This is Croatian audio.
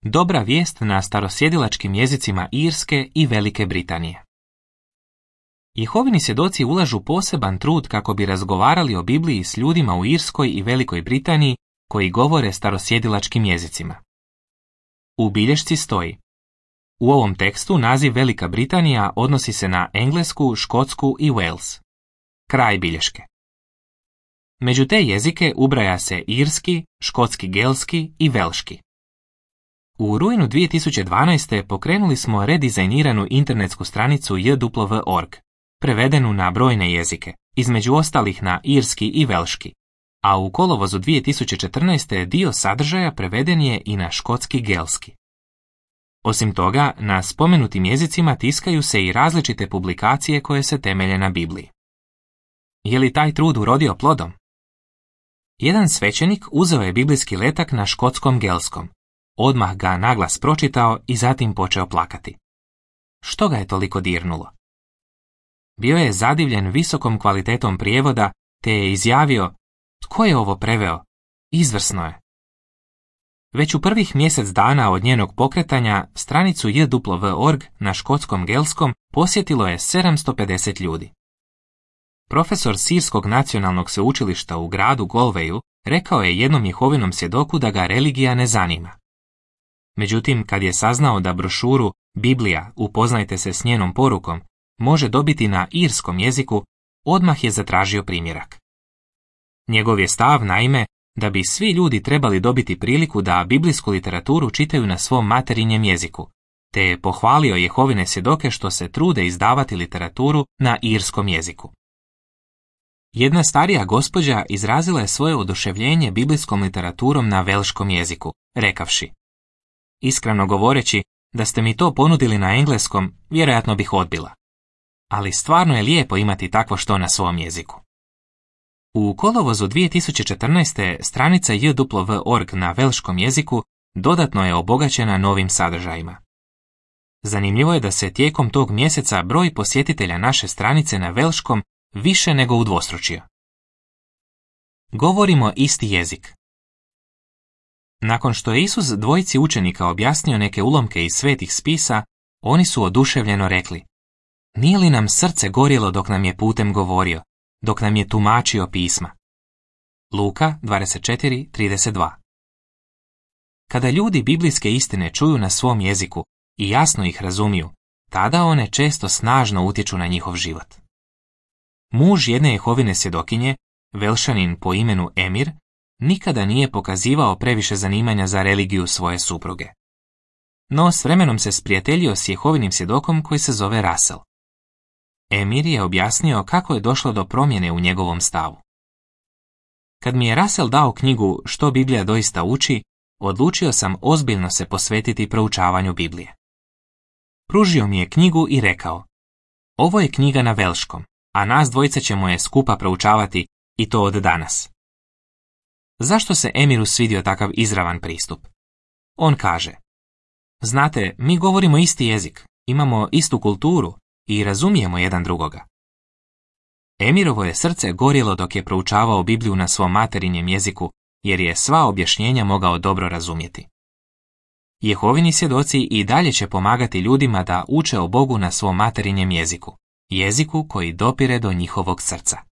Dobra vijest na starosjedilačkim jezicima Irske i Velike Britanije. Jehovini svjedoci ulažu poseban trud kako bi razgovarali o Bibliji s ljudima u Irskoj i Velikoj Britaniji koji govore starosjedilačkim jezicima. U bilješci stoji: u ovom tekstu naziv Velika Britanija odnosi se na Englesku, Škotsku i Wales. Kraj bilješke. Među te jezike ubraja se irski, škotski gelski i velški. U rujnu 2012. pokrenuli smo redizajniranu internetsku stranicu jw.org, prevedenu na brojne jezike, između ostalih na irski i velški, a u kolovozu 2014. dio sadržaja preveden je i na škotski gelski. Osim toga, na spomenutim jezicima tiskaju se i različite publikacije koje se temelje na Bibliji. Je li taj trud urodio plodom? Jedan svećenik uzeo je biblijski letak na škotskom gelskom, odmah ga naglas pročitao i zatim počeo plakati. Što ga je toliko dirnulo? Bio je zadivljen visokom kvalitetom prijevoda, te je izjavio: tko je ovo preveo? Izvrsno je. Već u prvih mjesec dana od njenog pokretanja stranicu jw.org na škotskom gelskom posjetilo je 750 ljudi. Profesor Sirskog nacionalnog sveučilišta u gradu Galwayu rekao je jednom Jehovinom svjedoku da ga religija ne zanima. Međutim, kad je saznao da brošuru Biblija, upoznajte se s njenom porukom, može dobiti na irskom jeziku, odmah je zatražio primjerak. Njegov je stav, naime, da bi svi ljudi trebali dobiti priliku da biblijsku literaturu čitaju na svom materinjem jeziku, te je pohvalio Jehovine svjedoke što se trude izdavati literaturu na irskom jeziku. Jedna starija gospođa izrazila je svoje oduševljenje biblijskom literaturom na velškom jeziku, rekavši: iskreno govoreći, da ste mi to ponudili na engleskom, vjerojatno bih odbila. Ali stvarno je lijepo imati takvo što na svom jeziku. U kolovozu 2014. stranica jw.org na velškom jeziku dodatno je obogaćena novim sadržajima. Zanimljivo je da se tijekom tog mjeseca broj posjetitelja naše stranice na velškom više nego udvostručio. Govorimo isti jezik. Nakon što je Isus dvojici učenika objasnio neke ulomke iz svetih spisa, oni su oduševljeno rekli: nije li nam srce gorjelo dok nam je putem govorio, dok nam je tumačio pisma? Luka 24:32. Kada ljudi biblijske istine čuju na svom jeziku i jasno ih razumiju, tada one često snažno utječu na njihov život. Muž jedne Jehovine svjedokinje, Velšanin po imenu Emir, nikada nije pokazivao previše zanimanja za religiju svoje supruge. No s vremenom se sprijateljio s Jehovinim svjedokom koji se zove Russell. Emir je objasnio kako je došlo do promjene u njegovom stavu. Kad mi je Russell dao knjigu Što Biblija doista uči, odlučio sam ozbiljno se posvetiti proučavanju Biblije. Pružio mi je knjigu i rekao: ovo je knjiga na velškom, a nas dvojica ćemo je skupa proučavati i to od danas. Zašto se Emiru svidio takav izravan pristup? On kaže: znate, mi govorimo isti jezik, imamo istu kulturu i razumijemo jedan drugoga. Emirovo je srce gorjelo dok je proučavao Bibliju na svom materinjem jeziku, jer je sva objašnjenja mogao dobro razumjeti. Jehovini svjedoci i dalje će pomagati ljudima da uče o Bogu na svom materinjem jeziku, jeziku koji dopire do njihovog srca.